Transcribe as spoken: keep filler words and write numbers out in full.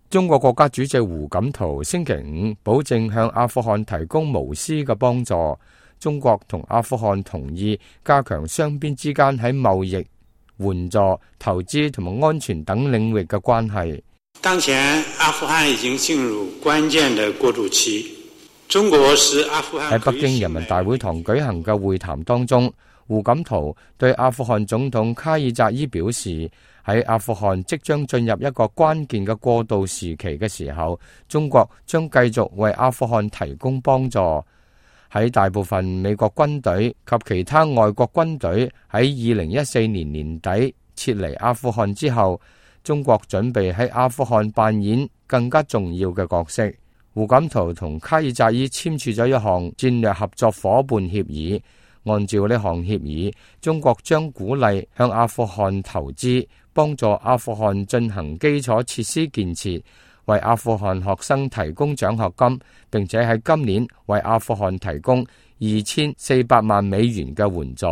中國國家主席胡錦濤星期五保證向阿富汗提供無私嘅幫助。中國同阿富汗同意加強雙邊之間喺貿易、援助、投資同埋安全等領域嘅關係。當前阿富汗已經進入關鍵的過渡期，中國是阿富汗。喺北京人民大會堂舉行嘅會談當中，胡錦濤對阿富汗總統卡爾扎伊表示，喺阿富汗即將進入一個關鍵嘅過渡時期嘅時候，中國將繼續為阿富汗提供幫助。喺大部分美國軍隊及其他外國軍隊喺二零一四年年底撤離阿富汗之後，中國準備喺阿富汗扮演更加重要嘅角色。胡錦濤同卡爾扎伊簽署咗一項戰略合作夥伴協議，按照呢項協議，中國將鼓勵向阿富汗投資，幫助阿富汗進行基礎設施建設，為阿富汗學生提供獎學金，並且喺今年為阿富汗提供二千四百萬美元嘅援助。